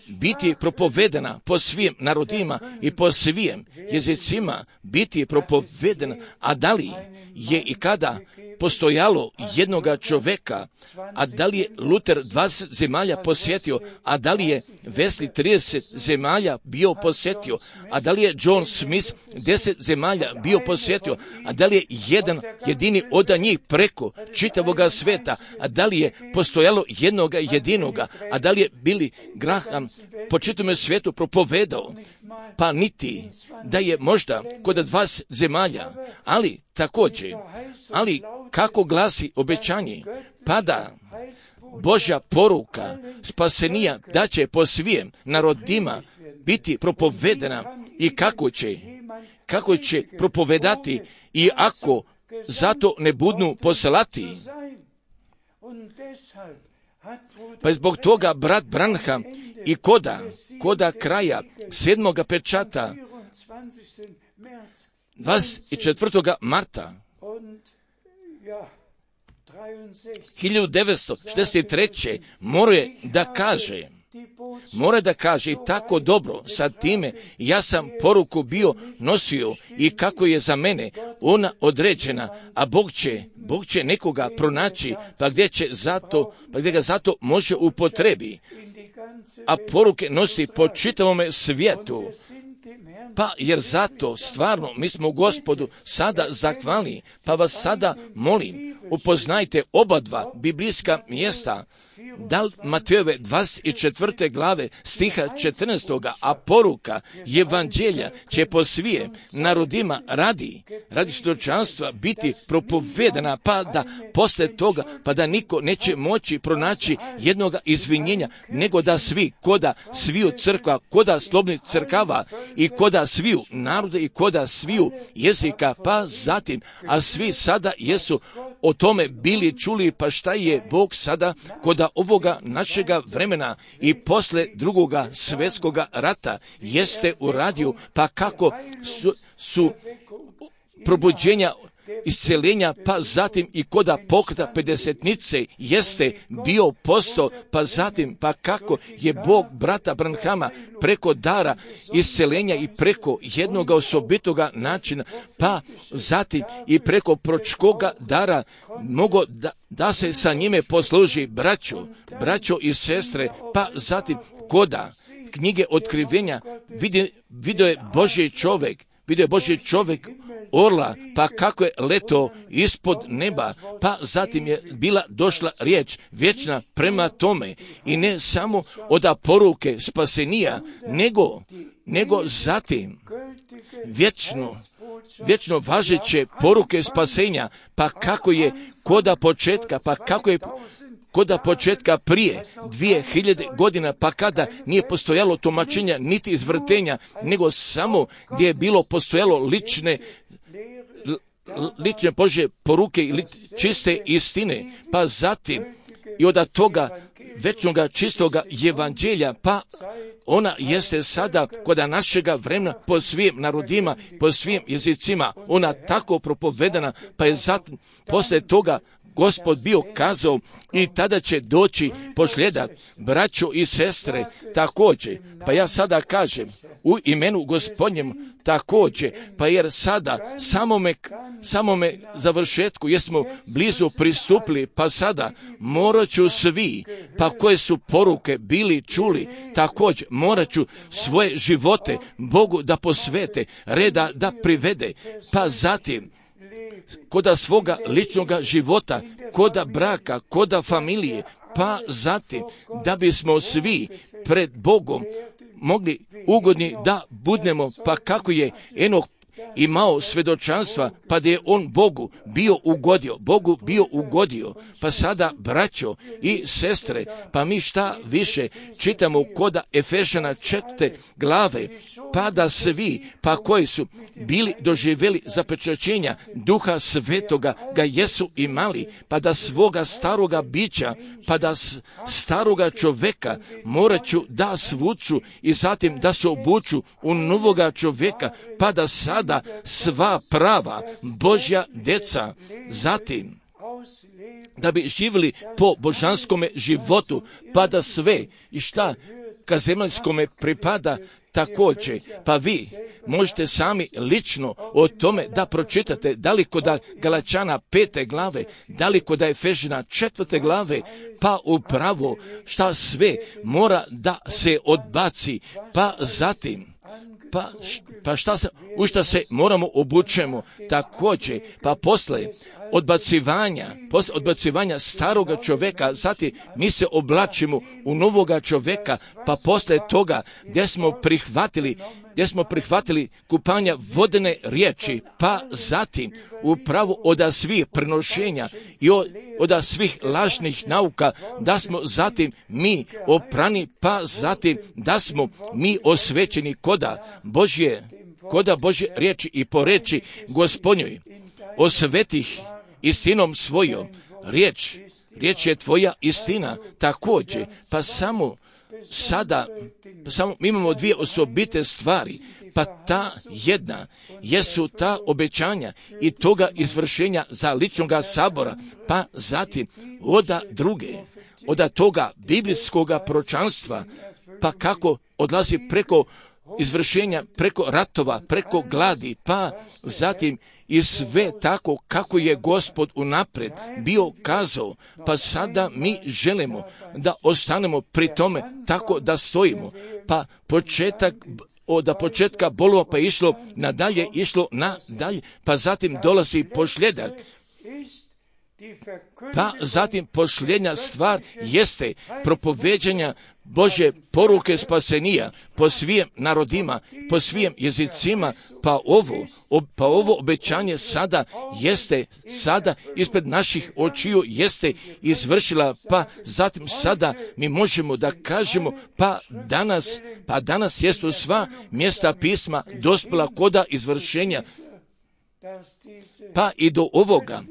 biti propovedena po svim narodima i po svim jezicima biti propovedena, a da li je i kada postojalo jednoga čoveka, a da li je Luter dvadeset zemalja posjetio, a da li je Wesley trideset zemalja bio posjetio, a da li je John Smith deset zemalja bio posjetio, a da li je jedan jedini od njih preko čitavoga sveta, a da li je postojalo jednoga jedinoga, a da li je Billy Graham po čitavom svijetu propovedao, pa niti da je možda kod dvadeset zemalja, ali također, ali kako glasi obećanje, pa da Božja poruka spasenija da će po svim narodima biti propovedena i kako će, kako će propovedati i ako zato ne budnu poslati. Pa zbog toga brat Branham i koda, koda kraja sedmoga pečata dvadeset četvrtog marta hiljadu devetsto šezdeset treće mora da kaže, mora da kaže i tako dobro sa time, ja sam poruku bio nosio i kako je za mene ona određena, a Bog će, Bog će nekoga pronaći, pa gdje će zato, pa gdje ga zato može upotrebi, a poruke nosi po čitavome svijetu. Pa jer zato stvarno mi smo Gospodu sada zahvalni, pa vas sada molim, upoznajte oba dva biblijska mjesta, da Matejove dvadeset četvrte glave stiha četrnaestog a poruka evanđelja će po svim narodima radi, radi svjedočanstva biti propovedana, pa da posle toga, pa da niko neće moći pronaći jednoga izvinjenja, nego da svi, koda sviju crkva, koda slobodnih crkava i koda sviju narode i koda sviju jezika, pa zatim, a svi sada jesu o tome bili čuli, pa šta je Bog sada koda ovoga našega vremena i posle drugoga svjetskoga rata jeste uradio, pa kako su, su probuđenja isceljenja, pa zatim i koda pokreta pedesetnice jeste bio posto, pa zatim pa kako je Bog brata Branhama preko dara isceljenja i preko jednog osobitoga načina, pa zatim i preko pročkoga dara mogo da, da se sa njime posluži braćo, braćo i sestre, pa zatim koda knjige otkrivenja vidi, vidio je Božji čovjek, vidio je Božji čovjek orla, pa kako je leto ispod neba, pa zatim je bila došla riječ vječna prema tome i ne samo od poruke spasenija, nego, nego zatim vječno, vječno važeće poruke spasenja, pa kako je koda početka, pa kako je koda početka prije dvije hiljade godina, pa kada nije postojalo tumačenja niti izvrtenja, nego samo gdje je bilo postojalo lične lične Božje poruke i čiste istine, pa zatim i od toga večnoga čistoga evanđelja, pa ona jeste sada kod našega vremena po svim narodima, po svim jezicima, ona tako propovedana, pa je zatim poslije toga Gospod bio kazao i tada će doći posljedak, braćo i sestre, također, pa ja sada kažem, u imenu Gospodnjem također, pa jer sada samome, samome završetku jesmo blizu pristupili, pa sada morat ću svi, pa koje su poruke bili čuli, također morat ću svoje živote Bogu da posvete, reda da privede, pa zatim koda svoga ličnoga života, koda braka, koda familije, pa zatim da bismo svi pred Bogom mogli ugodni da budemo, pa kako je Enok imao svjedočanstva, pa da je on Bogu bio ugodio, Bogu bio ugodio. Pa sada, braćo i sestre, pa mi šta više čitamo koda Efežana četvrte glave, pa da svi, pa koji su bili doživjeli zapečaćenja Duha Svetoga ga jesu imali, pa da svoga staroga bića, pa da staroga čovjeka morat ću da svuču i zatim da se obuču u novoga čovjeka, pa da sada sva prava Božja deca, zatim da bi živjeli po božanskome životu, pa da sve i šta ka zemaljskome pripada također. Pa vi možete sami lično o tome da pročitate, da li kod Galačana pete glave, da li kod Efežina četvrte glave, pa upravo šta sve mora da se odbaci, pa zatim Pa, pa šta se, u šta se moramo obučemo također, pa posle odbacivanja, posle odbacivanja staroga čovjeka, zatim mi se oblačimo u novoga čovjeka, pa posle toga gdje smo prihvatili, gdje smo prihvatili kupanja vodene riječi, pa zatim upravo od svih prenošenja i od, od svih lažnih nauka, da smo zatim mi oprani, pa zatim da smo mi osvećeni koda Božje, koda Božje riječi i po reči Gospodnjoj, osvetih istinom svojom, riječ, riječ je tvoja istina, također, pa samo sada, pa samo mi imamo dvije osobite stvari, pa ta jedna jesu ta obećanja i toga izvršenja za ličnoga sabora, pa zatim oda druge, oda toga biblijskoga proročanstva, pa kako odlazi preko izvršenja, preko ratova, preko gladi, pa zatim i sve tako kako je Gospod unaprijed bio kazao, pa sada mi želimo da ostanemo pri tome tako da stojimo, pa početak, od početka bolova pa išlo nadalje, išlo nadalje, pa zatim dolazi posljedak. Pa zatim posljednja stvar jeste propoveđanja Božje poruke spasenija po svim narodima, po svim jezicima, pa ovo, pa ovo obećanje sada jeste, sada ispred naših očiju jeste izvršila, pa zatim sada mi možemo da kažemo, pa danas, pa danas jesu sva mjesta pisma dospjela koda izvršenja, pa i do ovoga,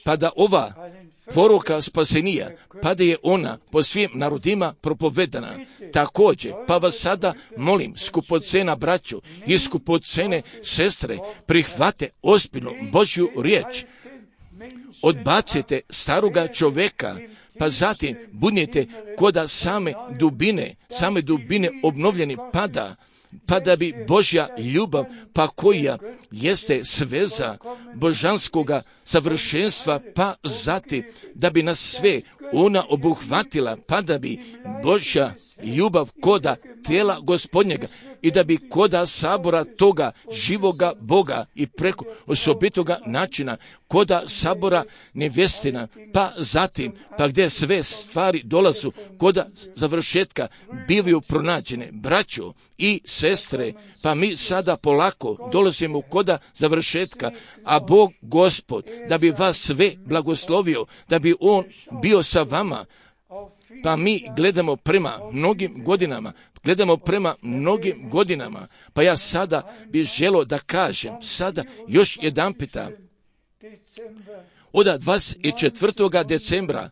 pa da ova poruka spasenija, pa da je ona po svim narodima propovedana. Također, pa vas sada molim, skupocena braću i skupocene sestre, prihvate ozbiljno Božju riječ, odbacite staroga čovjeka, pa zatim budnite koda same dubine, same dubine obnovljeni pada, pa da bi Božja ljubav, pa koja jeste sveza božanskoga savršenstva, pa zatim da bi nas sve ona obuhvatila, pa da bi Božja ljubav koda tijela Gospodnjega i da bi koda sabora toga živoga Boga i preko osobitoga načina koda sabora nevjestina, pa zatim, pa gdje sve stvari dolazu koda završetka bivaju pronađene. Braćo i sestre, pa mi sada polako dolazimo koda završetka, a Bog Gospod da bi vas sve blagoslovio, da bi On bio sa vama, pa mi gledamo prema mnogim godinama, gledamo prema mnogim godinama, pa ja sada bih želio da kažem, sada još jedan pita, od dvadeset četvrtog decembra,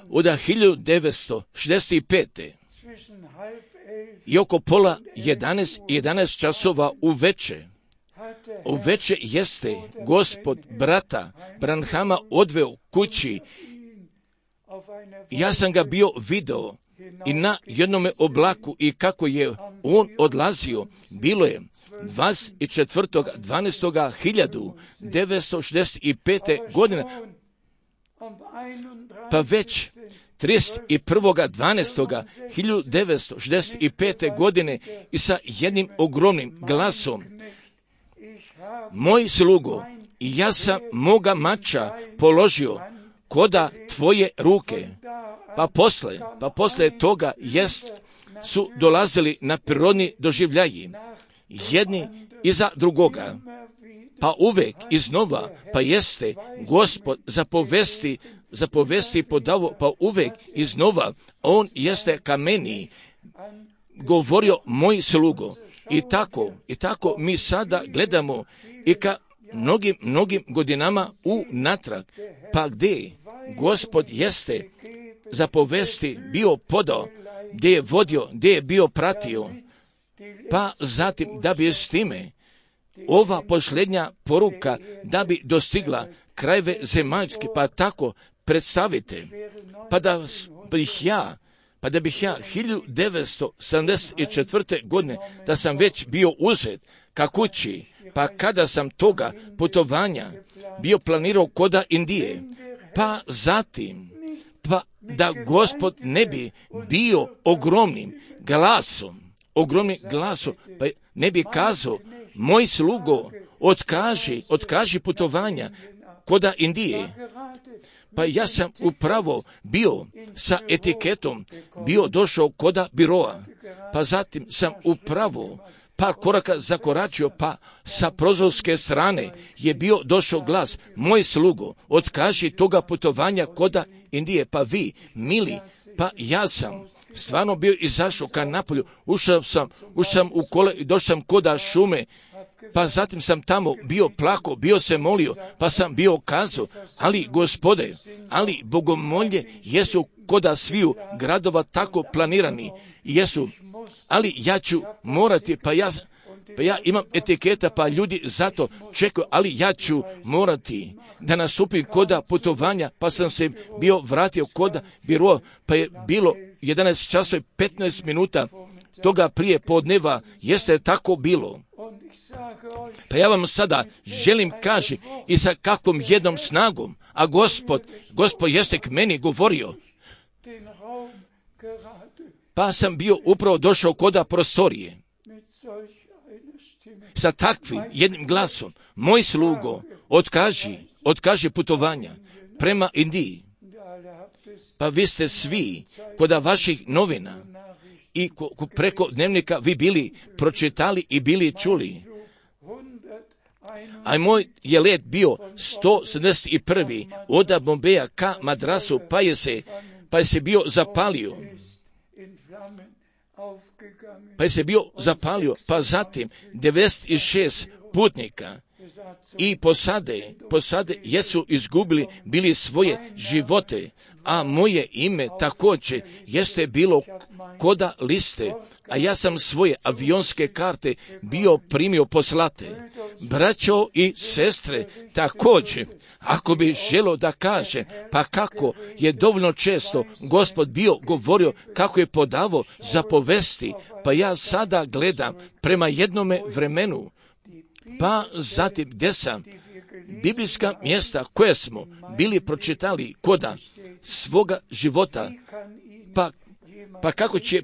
od hiljadu devetsto šezdeset pete i oko pola jedanaest, jedanaest časova uveče, uveče jeste Gospod brata Branhama odveo kući. Ja sam ga bio video i na jednome oblaku i kako je on odlazio, bilo je dvadeset četvrtog dvanaestog hiljadu devetsto šezdeset pete godine, pa već trideset prvog dvanaestog hiljadu devetsto šezdeset pete godine i sa jednim ogromnim glasom: moj slugo, ja sam moga mača položio koda tvoje ruke. Pa posle, pa posle toga jest su dolazili na prirodni doživljaji. Jedni iza drugoga, pa uvek iznova, pa jeste Gospod zapovesti, zapovesti podavo, pa uvek iznova, on jeste ka meni govorio moj slugo. I tako, i tako mi sada gledamo i ka mnogim, mnogim godinama u natrag, pa gdje Gospod jeste zapovesti bio podao, gdje je vodio, gdje je bio pratio, pa zatim da bi s time ova posljednja poruka da bi dostigla krajeve zemaljske, pa tako predstavite, pa da bih ja, pa da bih ja hiljadu devetsto sedamdeset četvrte godine, da sam već bio uzet ka kući, pa kada sam toga putovanja bio planirao koda Indije, pa zatim, pa da Gospod ne bi bio ogromnim glasom, ogromnim glasom, pa ne bi kazao, moj slugo, otkaži, otkaži putovanja koda Indije. Pa ja sam upravo bio sa etiketom, bio došao koda biroa, pa zatim sam upravo par koraka zakoračio, pa sa prozorske strane je bio došao glas, moj slugo, otkaži toga putovanja koda Indije. Pa vi, mili, pa ja sam stvarno bio izašao ka napolju, ušao sam, ušao sam u kole i došao sam koda šume, pa zatim sam tamo bio plako, bio se molio, pa sam bio kazao, ali Gospode, ali bogomolje jesu koda sviju gradova tako planirani, jesu, ali ja ću morati, pa ja, pa ja imam etiketa, pa ljudi zato čekaju, ali ja ću morati da nastupim koda putovanja, pa sam se bio vratio koda biroa, pa je bilo jedanaest časova i petnaest minuta toga prije podneva, jeste tako bilo. Pa ja vam sada želim kaži i sa kakvom jednom snagom, a Gospod, Gospod jeste k meni govorio, pa sam bio upravo došao koda prostorije sa takvim jednim glasom, moj slugo, otkaži, otkaži putovanja prema Indiji. Pa vi ste svi koda vaših novina i preko dnevnika vi bili pročitali i bili čuli. A moj je let bio sto sedamdeset prvi od Bombeja ka Madrasu, pa je se, pa je se bio zapalio. Pa je se bio zapalio, pa zatim devedeset šest putnika i posade, posade jesu izgubili bili svoje živote, a moje ime također jeste bilo koda liste, a ja sam svoje avionske karte bio primio poslate. Braćo i sestre, također, ako bi želo da kaže, pa kako je dovoljno često Gospod bio govorio, kako je podavo zapovesti, pa ja sada gledam prema jednome vremenu, pa zatim gdje sam biblijska mjesta koje smo bili pročitali koda svoga života, pa, pa kako će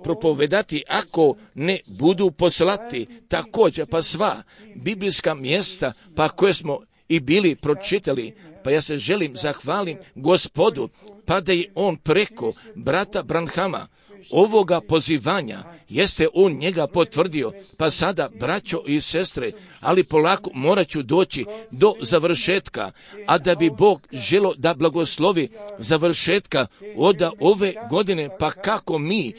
propovedati ako ne budu poslati, također pa sva biblijska mjesta pa koje smo i bili pročitali, pa ja se želim zahvalim Gospodu, pa da je on preko brata Branhama ovoga pozivanja, jeste on njega potvrdio, pa sada, braćo i sestre, ali polako morat ću doći do završetka, a da bi Bog želo da blagoslovi završetka od ove godine, pa kako mi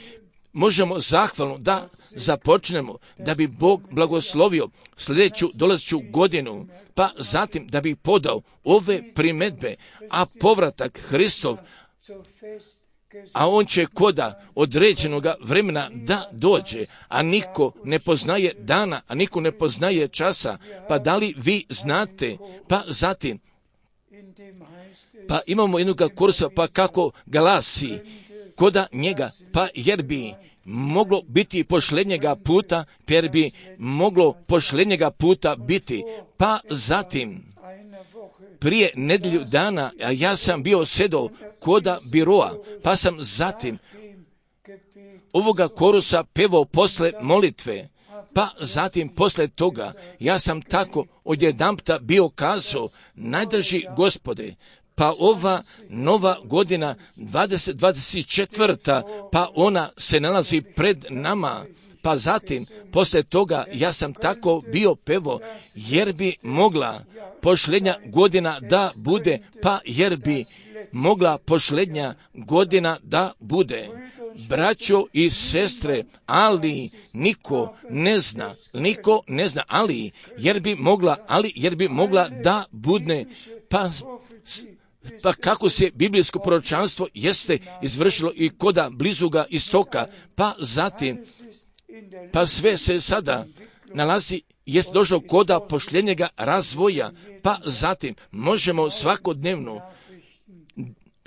možemo zahvalno da započnemo, da bi Bog blagoslovio sljedeću dolazeću godinu, pa zatim da bi podao ove primedbe, a povratak Hristov, a on će koda određenoga vremena da dođe, a niko ne poznaje dana, a niko ne poznaje časa, pa da li vi znate, pa zatim, pa imamo jednog kursa, pa kako glasi koda njega, pa jer bi moglo biti posljednjega puta, jer bi moglo posljednjega puta biti, pa zatim, prije nedjelju dana, a ja sam bio sedao koda biroa, pa sam zatim ovoga korusa pevao posle molitve, pa zatim posle toga ja sam tako odjedanpta bio kazao, najdrži Gospode, pa ova nova godina dvadeset dvadeset četiri, pa ona se nalazi pred nama, Pa zatim, poslije toga, ja sam tako bio pevo, jer bi mogla posljednja godina da bude, pa jer bi mogla posljednja godina da bude. Braćo i sestre, ali niko ne zna, niko ne zna, ali jer bi mogla, ali jer bi mogla da bude, pa, pa kako se biblijsko proročanstvo jeste izvršilo i koda blizuga istoka, pa zatim, pa sve se sada nalazi, jest došlo koda posljednjega razvoja, pa zatim možemo svakodnevno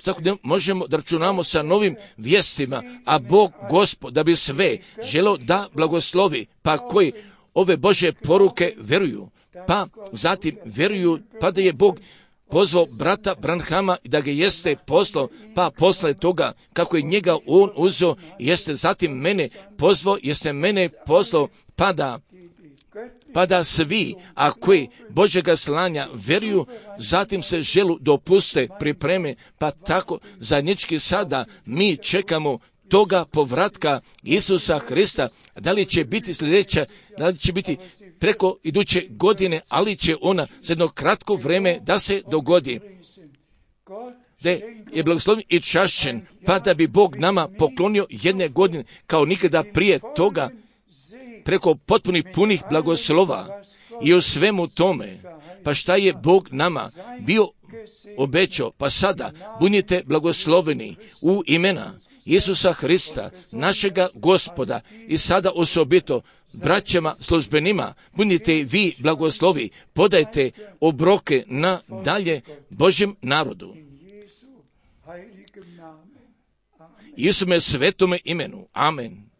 Svakodnevno možemo da računamo sa novim vijestima, a Bog Gospod da bi sve želo da blagoslovi, pa koji ove Božje poruke veruju, pa zatim veruju, pa da je Bog pozvao brata Branhama i da ga jeste poslao, pa posle toga kako je njega on uzeo, jeste zatim mene pozvao, jeste mene poslao, pa da pa da svi, a koji Božjega slanja veruju, zatim se želu dopuste, pripreme, pa tako zajednički sada mi čekamo toga povratka Isusa Hrista. Da li će biti sljedeća, da li će biti preko iduće godine, ali će ona za jedno kratko vreme da se dogodi. Da je blagoslovljen i čašćen, pa da bi Bog nama poklonio jedne godine kao nikada prije toga, preko potpunih punih blagoslova i u svemu tome. Pa šta je Bog nama bio obećao? Pa sada budite blagosloveni u imena Isusa Hrista, našega Gospoda, i sada osobito braćama službenima, budite vi blagoslovi, podajte obroke na dalje Božjem narodu. Isume svetome imenu. Amen.